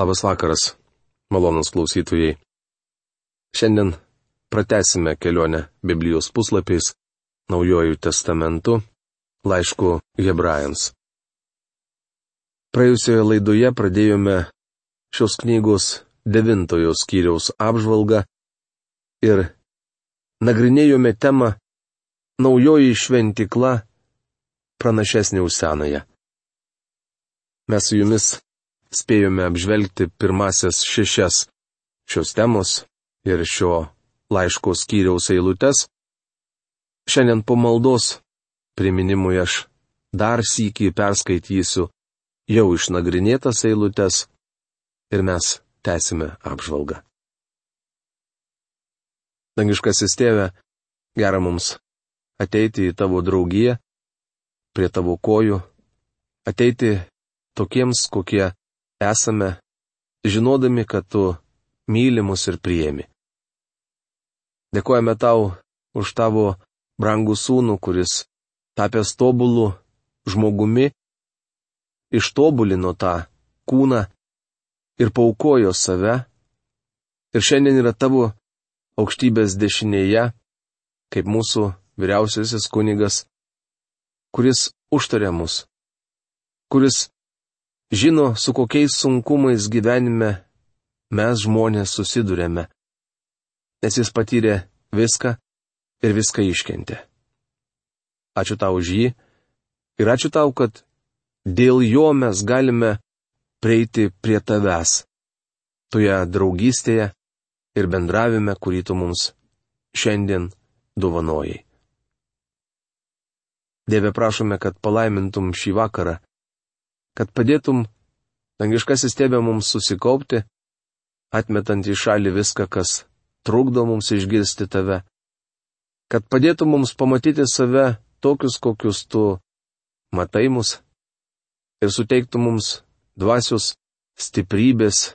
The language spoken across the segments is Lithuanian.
Labas vakaras, malonūs klausytojai. Šiandien pratęsime kelionę Biblijos puslapiais, Naujuoju testamentu, laišku Hebrajams. Praėjusioje laidoje pradėjome šios knygos 9 skyriaus apžvalgą ir nagrinėjome temą Naujoji šventykla pranašesnė už senąją. Mes su jumis spėjome apžvelgti pirmasias 6 šios temos ir šio laiško skyriaus eilutes. Šiandien po maldos priminimui aš dar sykį perskaitysiu jau išnagrinėtas eilutes ir mes tęsime apžvalgą. Dangiškasis Tėve, gera mums ateiti į tavo draugiją, prie tavo kojų, ateiti tokiems, kokie esame, žinodami, kad tu myli mus ir priėmi. Dėkojame tau už tavo brangų sūnų, kuris, tapęs tobulu žmogumi, ištobulino tą kūną ir paaukojo save, ir šiandien yra tavo aukštybės dešinėje, kaip mūsų vyriausiasis kunigas, kuris užtaria mus, kuris žino, su kokiais sunkumais gyvenime mes žmonės susidurėme, nes jis patyrė viską ir viską iškentė. Ačiū tau už jį ir ačiū tau, kad dėl jo mes galime prieiti prie tavęs, toje draugystėje ir bendravime, kurį tu mums šiandien dovanojai. Dieve, prašome, kad palaimintum šį vakarą, kad padėtum, dangiškasis Tėve, mums susikaupti, atmetant į šalį viską, kas trukdo mums išgirsti tave, kad padėtum mums pamatyti save tokius, kokius tu matai mus, ir suteiktum mums dvasios stiprybės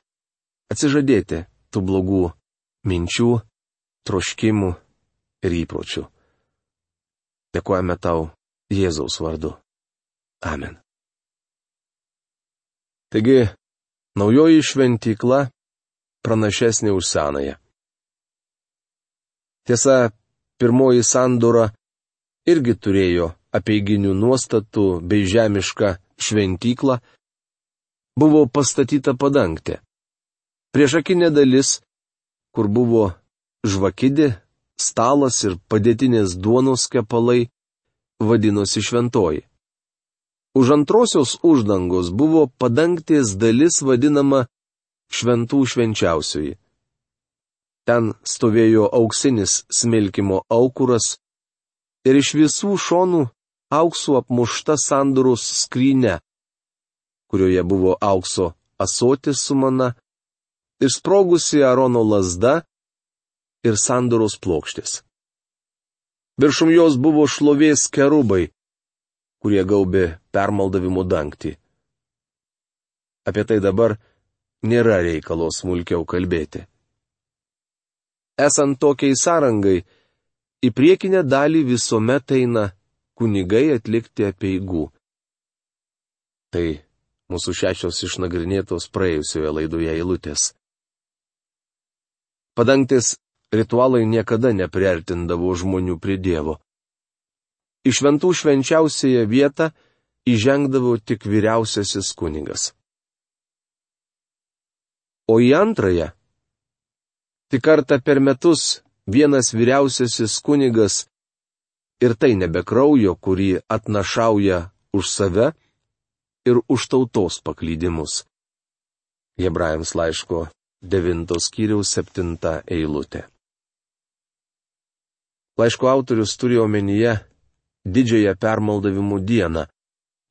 atsižadėti tų blogų minčių, troškimų ir įpročių. Dėkojame tau Jėzaus vardu. Amen. Taigi, naujoji šventykla pranašesnė už senąją. Tiesa, pirmoji sandora irgi turėjo apeiginių nuostatų bei žemišką šventyklą, buvo pastatyta padangtė. Priešakinė dalis, kur buvo žvakidė, stalas ir padėtinės duonos kepalai, vadinosi šventoji. Už antrosios uždangos buvo padangtės dalis vadinama šventų švenčiausioji. Ten stovėjo auksinis smilkimo aukuras ir iš visų šonų auksu apmušta sandoros skrynia, kurioje buvo aukso ąsotis su mana, išsprogusi Aarono lazda ir sandoros plokštės. Viršum jos buvo šlovės kerubai, kurie gaubė permaldavimo dangtį. Apie tai dabar nėra reikalo smulkiau kalbėti. Esant tokiai sąrangai, į priekinę dalį visuomet eina kunigai atlikti apeigų. Tai mūsų 6 išnagrinėtos praėjusioje laidoje eilutės. Padangtės ritualai niekada nepriartindavo žmonių prie Dievo. Į šventų švenčiausiąją vietą įžengdavo tik vyriausiasis kunigas. O į antrąją, tik kartą per metus vienas vyriausiasis kunigas, ir tai nebe kraujo, kurį atnašauja už save ir už tautos paklydimus. Hebrajams laiško 9 skyriaus 7 eilutė. Laiško autorius turėjo omenyje didžiąją permaldavimų dieną,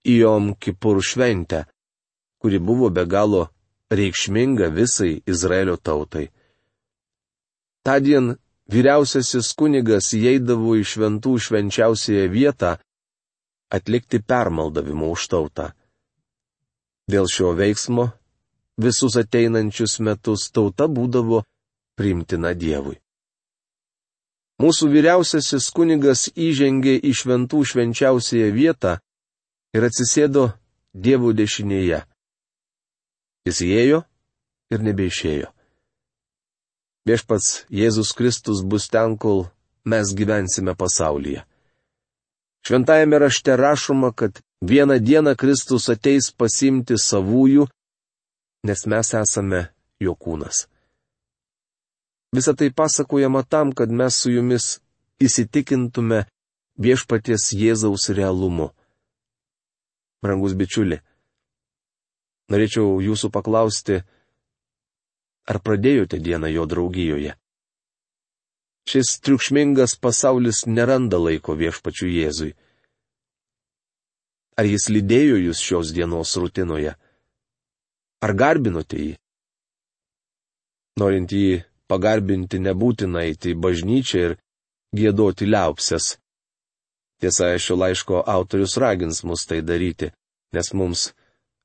Jom Kipur šventę, kuri buvo be galo reikšminga visai Izraelio tautai. Tądien vyriausiasis kunigas įeidavo į šventų švenčiausiąją vietą atlikti permaldavimo už tautą. Dėl šio veiksmo visus ateinančius metus tauta būdavo priimtina Dievui. Mūsų vyriausiasis kunigas įžengė į šventų švenčiausiąją vietą ir atsisėdo Dievo dešinėje. Jis įėjo ir nebeišėjo. Viešpats Jėzus Kristus bus ten, kol mes gyvensime pasaulyje. Šventajame rašte rašoma, kad vieną dieną Kristus ateis pasiimti savųjų, nes mes esame jo kūnas. Visą tai pasakojama tam, kad mes su jumis įsitikintume viešpaties Jėzaus realumu. Brangus bičiuli, norėčiau jūsų paklausti, ar pradėjote dieną jo draugijoje? Šis triukšmingas pasaulis neranda laiko viešpačiui Jėzui. Ar jis lydėjo jūs šios dienos rutinoje? Ar garbinote jį? Norint jį pagarbinti, nebūtina eiti į bažnyčią ir giedoti liaupses. Tiesa, šio laiško autorius ragins mus tai daryti, nes mums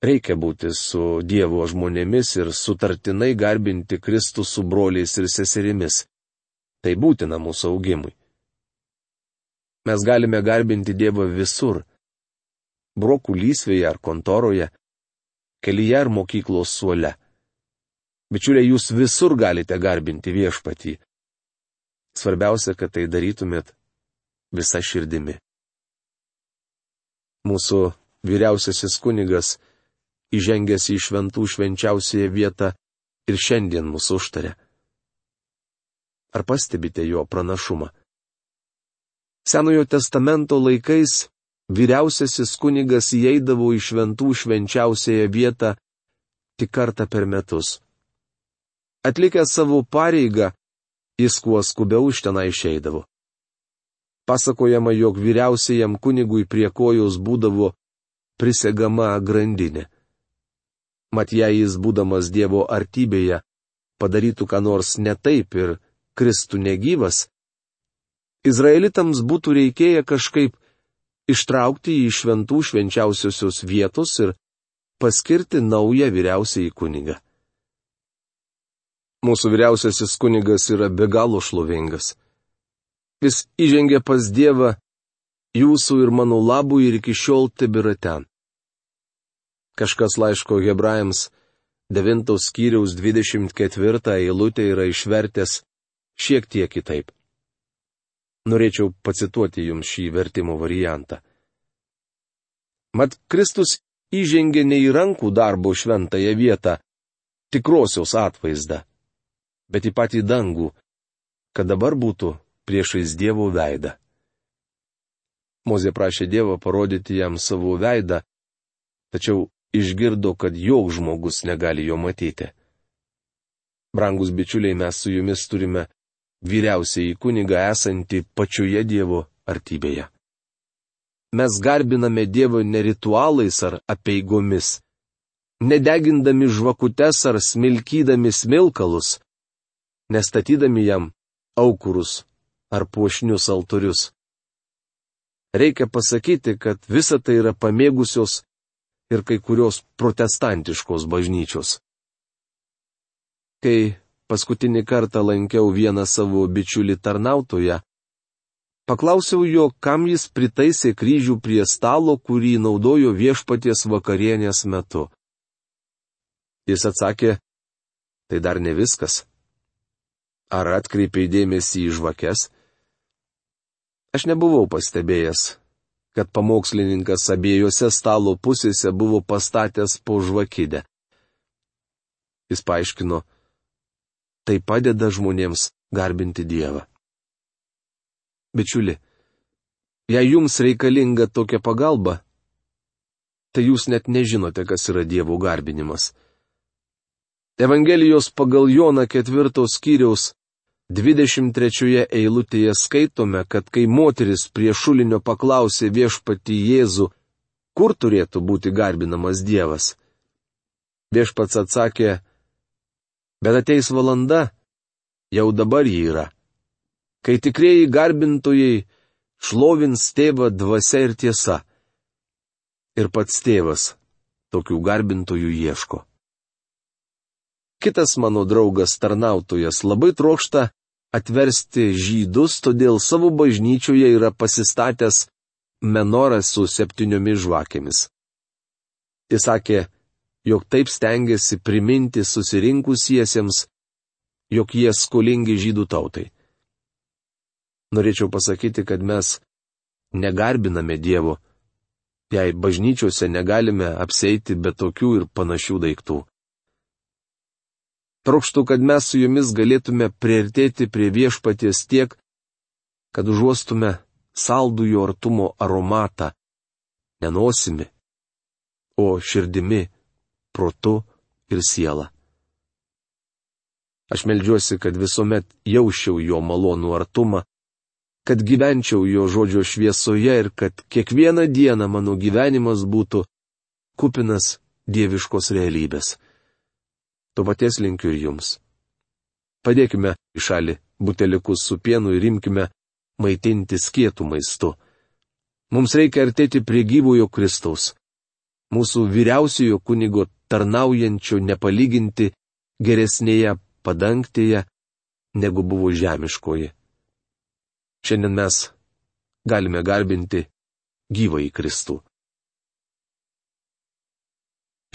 reikia būti su Dievo žmonėmis ir sutartinai garbinti Kristų su broliais ir seserimis. Tai būtina mūsų augimui. Mes galime garbinti Dievą visur - brokų lysvėje ar kontoroje, kelyje ar mokyklos suole. Bičiuliai, jūs visur galite garbinti viešpatį. Svarbiausia, kad tai darytumėt visa širdimi. Mūsų vyriausiasis kunigas, įžengęs į šventų švenčiausiąją vietą, ir šiandien mūsų užtaria. Ar pastebite jo pranašumą? Senojo testamento laikais vyriausiasis kunigas įeidavo į šventų švenčiausiąją vietą tik kartą per metus. Atlikęs savo pareigą, jis kuo skubiau iš tenai išeidavo. Pasakojama, jog vyriausiajam kunigui prie kojos būdavo prisegama grandinė. Mat jei jis, būdamas Dievo artybėje, padarytų ką nors ne taip ir kristų negyvas, izraelitams būtų reikėję kažkaip ištraukti jį iš šventų švenčiausiosios vietos ir paskirti naują vyriausiąjį kunigą. Mūsų vyriausiasis kunigas yra be galo šlovingas. Jis įžengė pas Dievą jūsų ir mano labui ir iki šiol tebėra ten. Kažkas laiško Hebrajams 9 skyriaus 24 eilutę yra išvertęs šiek tiek kitaip. Norėčiau pacituoti jums šį vertimo variantą. Mat Kristus įžengė ne į rankų darbo šventąją vietą, tikrosios atvaizdą, bet į patį dangų, kad dabar būtų priešais Dievo veidą. Mozė prašė Dievą parodyti jam savo veidą, tačiau išgirdo, kad joks žmogus negali jo matyti. Brangus bičiuliai, mes su jumis turime vyriausiąjį kunigą esantį pačioje Dievo artybėje. Mes garbiname Dievą ne ritualais ar apeigomis, nedegindami žvakutes ar smilkydami smilkalus, nestatydami jam aukurus ar puošnius altorius. Reikia pasakyti, kad visa tai yra pamėgusios ir kai kurios protestantiškos bažnyčios. Kai paskutinį kartą lankiau vieną savo bičiulį tarnautoją, paklausiau jo, kam jis pritaisė kryžių prie stalo, kurį naudojo viešpaties vakarienės metu. Jis atsakė, tai dar ne viskas. Ar atkreipiai dėmesį į žvakes? Aš nebuvau pastebėjęs, kad pamokslininkas abiejose stalo pusėse buvo pastatęs po žvakidę. Jis paaiškino, tai padeda žmonėms garbinti Dievą. Bičiuli, jei jums reikalinga tokia pagalba, tai jūs net nežinote, kas yra Dievo garbinimas. Evangelijos pagal Joną 4 skyriaus 23 eilutėje skaitome, kad kai moteris prie šulinio paklausė viešpatį Jėzų, kur turėtų būti garbinamas Dievas, viešpats atsakė, bet ateis valanda, jau dabar ji yra, kai tikrieji garbintojai šlovins Tėvą dvasia ir tiesa. Ir pats Tėvas tokių garbintojų ieško. Kitas mano draugas tarnautojas labai trokšta atversti žydus, todėl savo bažnyčioje yra pasistatęs menorą su 7 žvakėmis. Jis sakė, jog taip stengiasi priminti susirinkusiesiems, jog jie skolingi žydų tautai. Norėčiau pasakyti, kad mes negarbiname Dievo, jei bažnyčiose negalime apseiti be tokių ir panašių daiktų. Trokštu, kad mes su jumis galėtume priartėti prie Viešpaties tiek, kad užuostume saldų jo artumo aromatą, ne nosimi, o širdimi, protu ir siela. Aš meldžiuosi, kad visuomet jausčiau jo malonų artumą, kad gyvenčiau jo žodžio šviesoje ir kad kiekvieną dieną mano gyvenimas būtų kupinas dieviškos realybės. To paties linkiu ir jums. Padėkime į šalį buteliukus su pienu ir imkime maitintis kietų maistu. Mums reikia artėti prie gyvojo Kristaus, mūsų vyriausiojo kunigo tarnaujančio nepalyginti geresnėje padangtėje, negu buvo žemiškoji. Šiandien mes galime garbinti gyvąjį Kristų.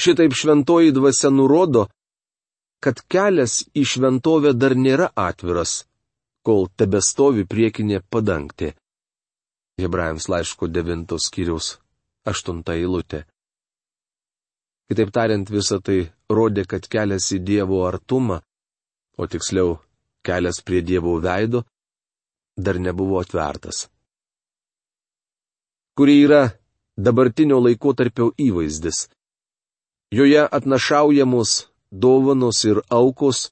Šitaip šventoji dvasia nurodo, kad kelias į šventovę dar nėra atviras, kol tebestovi priekinė padangtė. Hebrajams laiško 9 skyriaus 8 eilutė. Kitaip tariant, visa tai rodė, kad kelias į Dievo artumą, o tiksliau, kelias prie Dievo veido, dar nebuvo atvertas. Kuri yra dabartinio laikotarpio įvaizdis. Joje atnašaujamos dovanos ir aukos,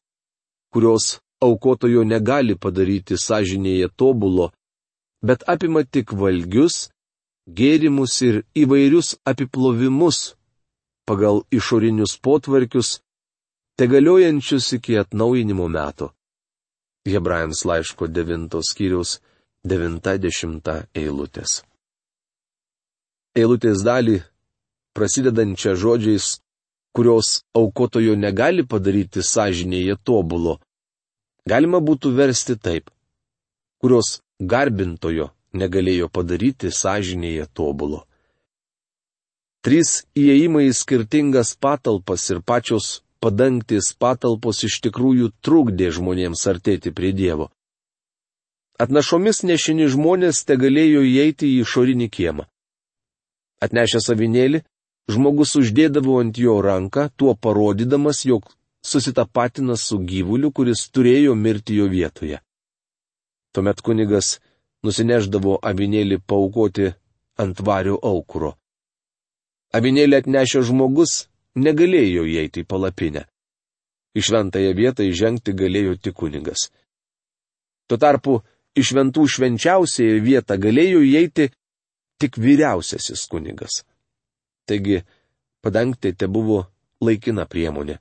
kurios aukotojo negali padaryti sąžinėje tobulo, bet apima tik valgius, gėrimus ir įvairius apiplovimus pagal išorinius potvarkius, tegaliojančius iki atnaujinimo metų. Hebrajams laiško 9 skyriaus 90 eilutės. Eilutės dalį, prasidedančią žodžiais, kurios aukotojo negali padaryti sąžinėje tobulo, galima būtų versti taip, kurios garbintojo negalėjo padaryti sąžinėje tobulo. 3 įėjimai į skirtingas patalpas ir pačios padangtės patalpos iš tikrųjų trukdė žmonėms artėti prie Dievo. Atnašomis nešini žmonės tegalėjo įeiti į išorinį kiemą. Atnešęs avinėlį, žmogus uždėdavo ant jo ranką, tuo parodydamas, jog susitapatina su gyvuliu, kuris turėjo mirti jo vietoje. Tuomet kunigas nusineždavo avinėlį paaukoti ant vario aukuro. Avinėlį atnešęs žmogus negalėjo įeiti į palapinę. Į šventąją vietą įžengti galėjo tik kunigas. Tuo tarpu į šventų švenčiausiąją vietą galėjo įeiti tik vyriausiasis kunigas. Taigi, padangtė tebuvo laikina priemonė.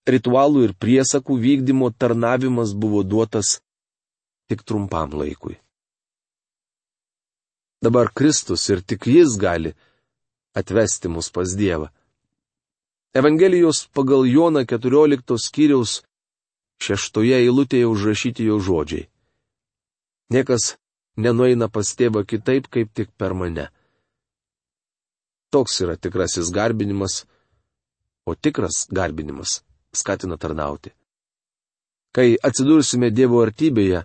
Ritualų ir priesakų vykdymo tarnavimas buvo duotas tik trumpam laikui. Dabar Kristus ir tik Jis gali atvesti mus pas Dievą. Evangelijos pagal Joną 14 skyriaus 6 eilutėje užrašyti jo žodžiai. Niekas nenueina pas tėvą kitaip, kaip tik per mane. Toks yra tikrasis garbinimas, o tikras garbinimas skatina tarnauti. Kai atsidursime Dievo artybėje,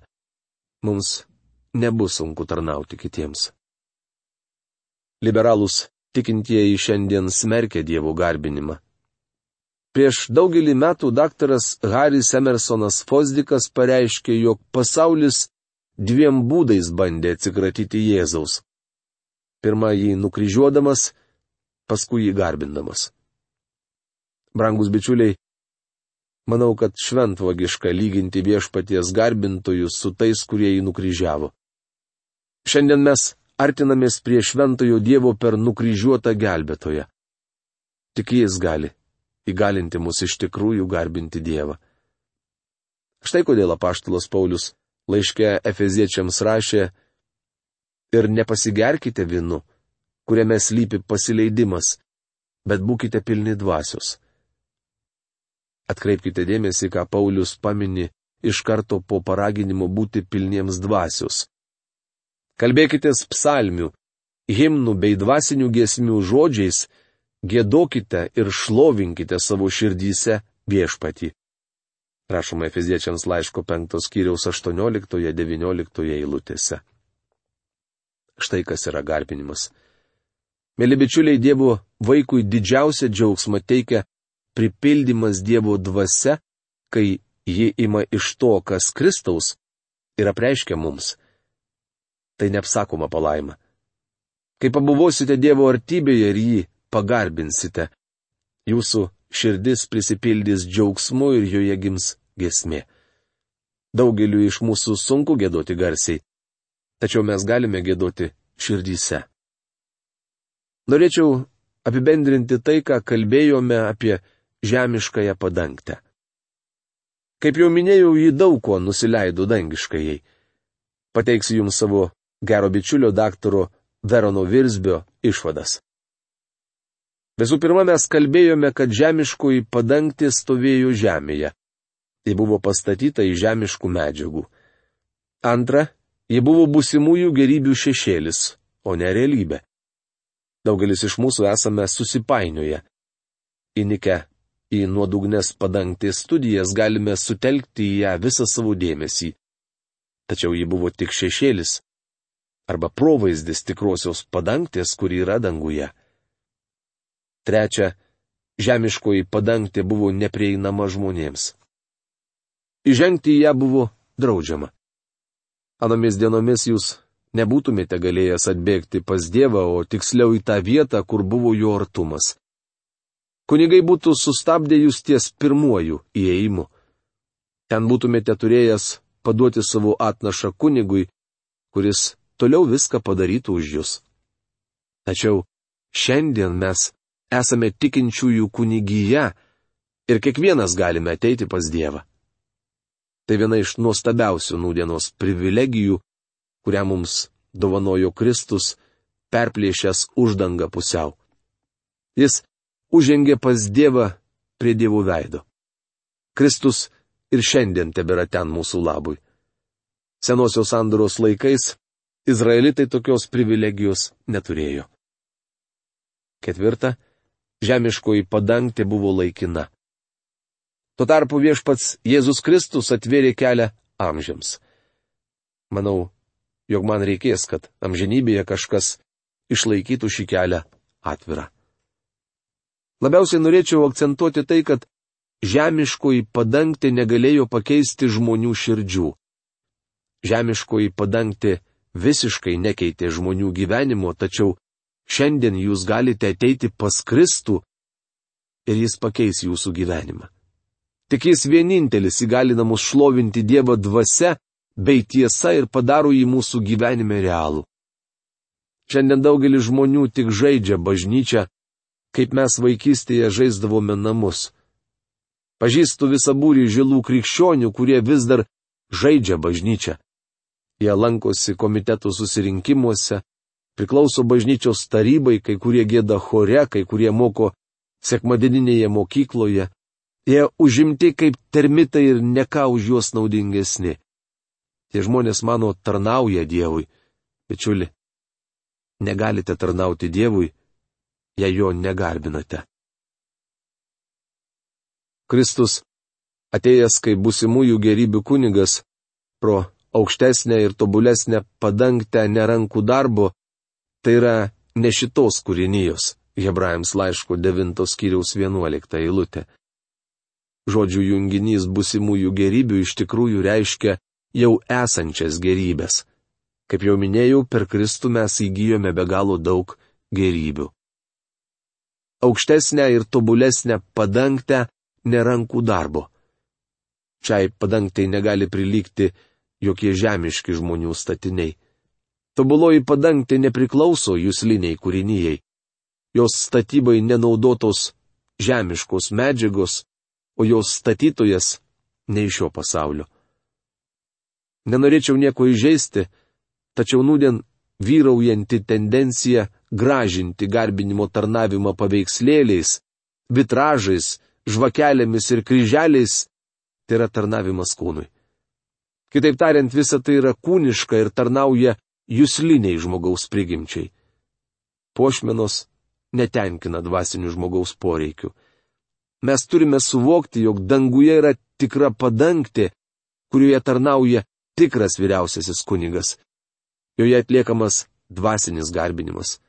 mums nebus sunku tarnauti kitiems. Liberalūs tikintieji šiandien smerkia Dievo garbinimą. Prieš daugelį metų daktaras Haris Emersonas Fosdikas pareiškė, jog pasaulis 2 būdais bandė atsikratyti Jėzaus. Pirma, jį nukryžiuodamas, paskui jį garbindamas. Brangus bičiuliai, manau, kad šventvagiška lyginti Viešpaties garbintojus su tais, kurie jį nukryžiavo. Šiandien mes artinamės prie šventojo Dievo per nukryžiuotą gelbėtoją. Tik Jis gali įgalinti mus iš tikrųjų garbinti Dievą. Štai kodėl apaštalas Paulius laiške Efeziečiams rašė: ir nepasigerkite vynu, kuriame slypi pasileidimas, bet būkite pilni dvasios. Atkreipkite dėmesį, ką Paulius pamini iš karto po paraginimo būti pilniems dvasios. Kalbėkitės psalmių, himnų bei dvasinių giesmių žodžiais, Giedokite ir šlovinkite savo širdyse Viešpatį. Rašoma Efeziečiams laiško 5 skyriaus 18-19 eilutėse. Štai kas yra garbinimas. Mėly bičiuliai, Dievo vaikui didžiausia džiaugsma teikia pripildymas Dievo dvasia, kai ji ima iš to, kas Kristaus, ir apreiškia mums. Tai neapsakoma palaima. Kai pabuvosite Dievo artybėje ir jį pagarbinsite, jūsų širdis prisipildys džiaugsmu ir joje gims giesmė. Daugeliu iš mūsų sunku giedoti garsiai, tačiau mes galime giedoti širdyse. Norėčiau apibendrinti tai, ką kalbėjome apie žemiškąją padangtę. Kaip jau minėjau, ji daug ko nusileido dangiškajai. Pateiksiu jums savo gero bičiulio daktaro Verono Virsbio išvadas. Visų pirma, mes kalbėjome, kad žemiškoji padangtė stovėjo žemėje. Ji buvo pastatyta iš žemiškų medžiagų. Antra, ji buvo būsimųjų gerybių šešėlis, o ne realybė. Daugelis iš mūsų esame susipainioję. Įnikę į nuodugnes padangtės studijas galime sutelkti į ją visą savo dėmesį. Tačiau ji buvo tik šešėlis, arba provaizdis tikrosios padangtės, kuri yra danguje. Trečia, žemiškoji padangtė buvo neprieinama žmonėms. Įžengti į ją buvo draudžiama. Anomis dienomis jūs nebūtumėte galėjęs atbėgti pas Dievą, o tiksliau į tą vietą, kur buvo jo artumas. Kunigai būtų sustabdę jūs ties pirmuoju įėjimu. Ten būtumėte turėjęs paduoti savo atnašą kunigui, kuris toliau viską padarytų už jūs. Tačiau šiandien mes esame tikinčiųjų kunigyje ir kiekvienas galime ateiti pas Dievą. Tai viena iš nuostabiausių nūdienos privilegijų, kurią mums dovanojo Kristus, perplėšęs uždangą pusiau. Jis užžengė pas Dievą prie Dievo veido. Kristus ir šiandien tebėra ten mūsų labui. Senosios sandoros laikais izraelitai tokios privilegijos neturėjo. Ketvirta, žemiškoji padangtė buvo laikina. Tuo tarpu Viešpats Jėzus Kristus atvėrė kelią amžiams. Manau, jog man reikės, kad amžinybėje kažkas išlaikytų šį kelią atvirą. Labiausiai norėčiau akcentuoti tai, kad žemiškoji padangtė negalėjo pakeisti žmonių širdžių. Žemiškoji padangtė visiškai nekeitė žmonių gyvenimo, tačiau šiandien jūs galite ateiti pas Kristų ir jis pakeis jūsų gyvenimą. Tik jis vienintelis įgalina mus šlovinti Dievą dvasia bei tiesa ir padaro jį mūsų gyvenime realų. Šiandien daugelis žmonių tik žaidžia bažnyčią, kaip mes vaikystėje žaisdavome namus. Pažįstu visą būrį žilų krikščionių, kurie vis dar žaidžia bažnyčią. Jie lankosi komitetų susirinkimuose, priklauso bažnyčios tarybai, kai kurie gieda chore, kai kurie moko sekmadieninėje mokykloje. Jie užimti kaip termitai ir ne ką už juos naudingesni. Tie žmonės mano tarnauja Dievui. Bičiuli, negalite tarnauti Dievui, jei jo negarbinate. Kristus, atėjęs kaip būsimųjų gerybių kunigas, pro aukštesnę ir tobulesnę padangtę nerankų darbo, tai yra ne šitos kūrinijos, Hebrajams laiško 9 skyriaus 11 eilutė. Žodžių junginys būsimųjų gerybių iš tikrųjų reiškia jau esančias gerybės. Kaip jau minėjau, per Kristų mes įgyjome be galo daug gerybių. Aukštesnę ir tobulesnę padangtę nerankų darbo. Šiai padangtai negali prilygti jokie žemiški žmonių statiniai. Tobuloji padangtė nepriklauso jusliniai kūrinijai. Jos statybai nenaudotos žemiškos medžiagos, o jos statytojas ne iš šio pasaulio. Nenorėčiau nieko įžeisti, tačiau nūdien vyraujanti tendencija gražinti garbinimo tarnavimą paveikslėliais, vitražais, žvakelėmis ir kryželiais, tai yra tarnavimas kūnui. Kitaip tariant, visa tai yra kūniška ir tarnauja jusliniai žmogaus prigimčiai. Puošmenos, netenkina dvasinių žmogaus poreikių. Mes turime suvokti, jog danguje yra tikra padangtė, kurioje tarnauja tikras vyriausiasis kunigas. Joje atliekamas dvasinis garbinimas.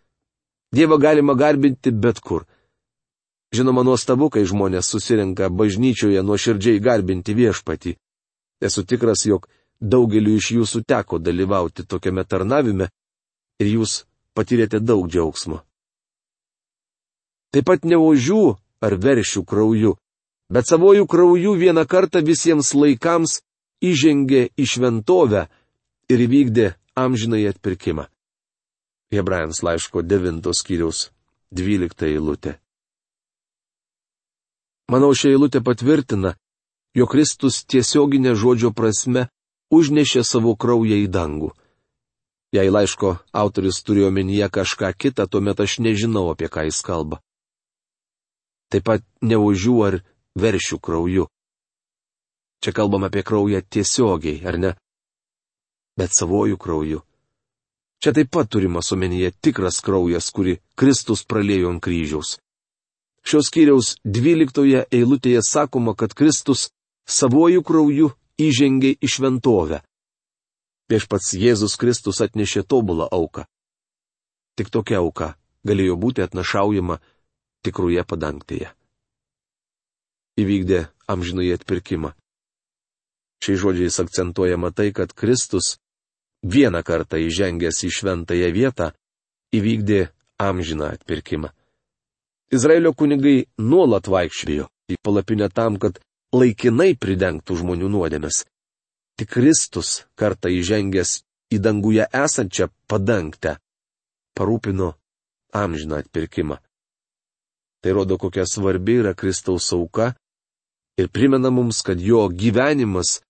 Dievą galima garbinti bet kur. Žinoma, nuostabu, kai žmonės susirenka bažnyčioje nuoširdžiai garbinti Viešpatį. Esu tikras, jog daugeliu iš jūsų teko dalyvauti tokiame tarnavime ir jūs patyrėte daug džiaugsmo. Taip pat ne ožių ar veršių krauju, bet savojų krauju vieną kartą visiems laikams įžengė į šventovę ir įvykdė amžinąjį atpirkimą. Hebrajams laiško 9 skyriaus 12 eilutė. Manau, ši eilutė patvirtina, jog Kristus tiesioginė žodžio prasme užnešė savo kraują į dangų. Jei laiško autorius turėjo omenyje kažką kitą, tuomet aš nežinau, apie ką jis kalba. Taip pat ne ožių ar veršių krauju. Čia kalbam apie kraują tiesiogiai, ar ne? Bet savojų krauju. Čia taip pat turimas omenyje tikras kraujas, kurį Kristus praliejo ant kryžiaus. Šios skyriaus 12 eilutėje sakoma, kad Kristus savojų krauju įžengė į šventovę. Viešpats Jėzus Kristus atnešė tobulą auką. Tik tokia auka galėjo būti atnašaujama tikroje padangtėje. Įvykdė amžinąjį atpirkimą. Šiais žodžiais akcentuojama tai, kad Kristus vieną kartą įžengęs į šventąją vietą įvykdė amžiną atpirkimą. Izraelio kunigai nuolat vaikščiojo į palapinę tam, kad laikinai pridengtų žmonių nuodėmes. Tik Kristus kartą įžengęs į danguje esančią padangtę parūpino amžiną atpirkimą. Tai rodo, kokia svarbi yra Kristaus auka ir primena mums, kad jo gyvenimas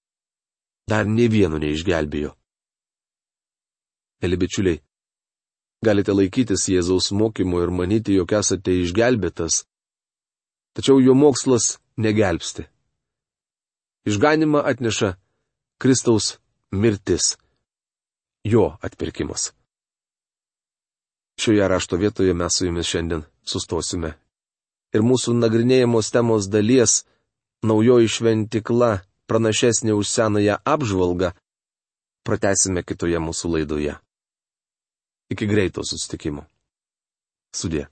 dar nė vieno neišgelbėjo. Mėly bičiuliai, galite laikytis Jėzaus mokymo ir manyti, jog esate išgelbėtas, tačiau jo mokslas negelbsti. Išganimą atneša Kristaus mirtis, jo atpirkimas. Šioje rašto vietoje mes su jumis šiandien sustosime. Ir mūsų nagrinėjamos temos dalies naujoji šventykla pranašesnė už senąją apžvalgą pratęsime kitoje mūsų laidoje. Iki greito susitikimo. Sudie.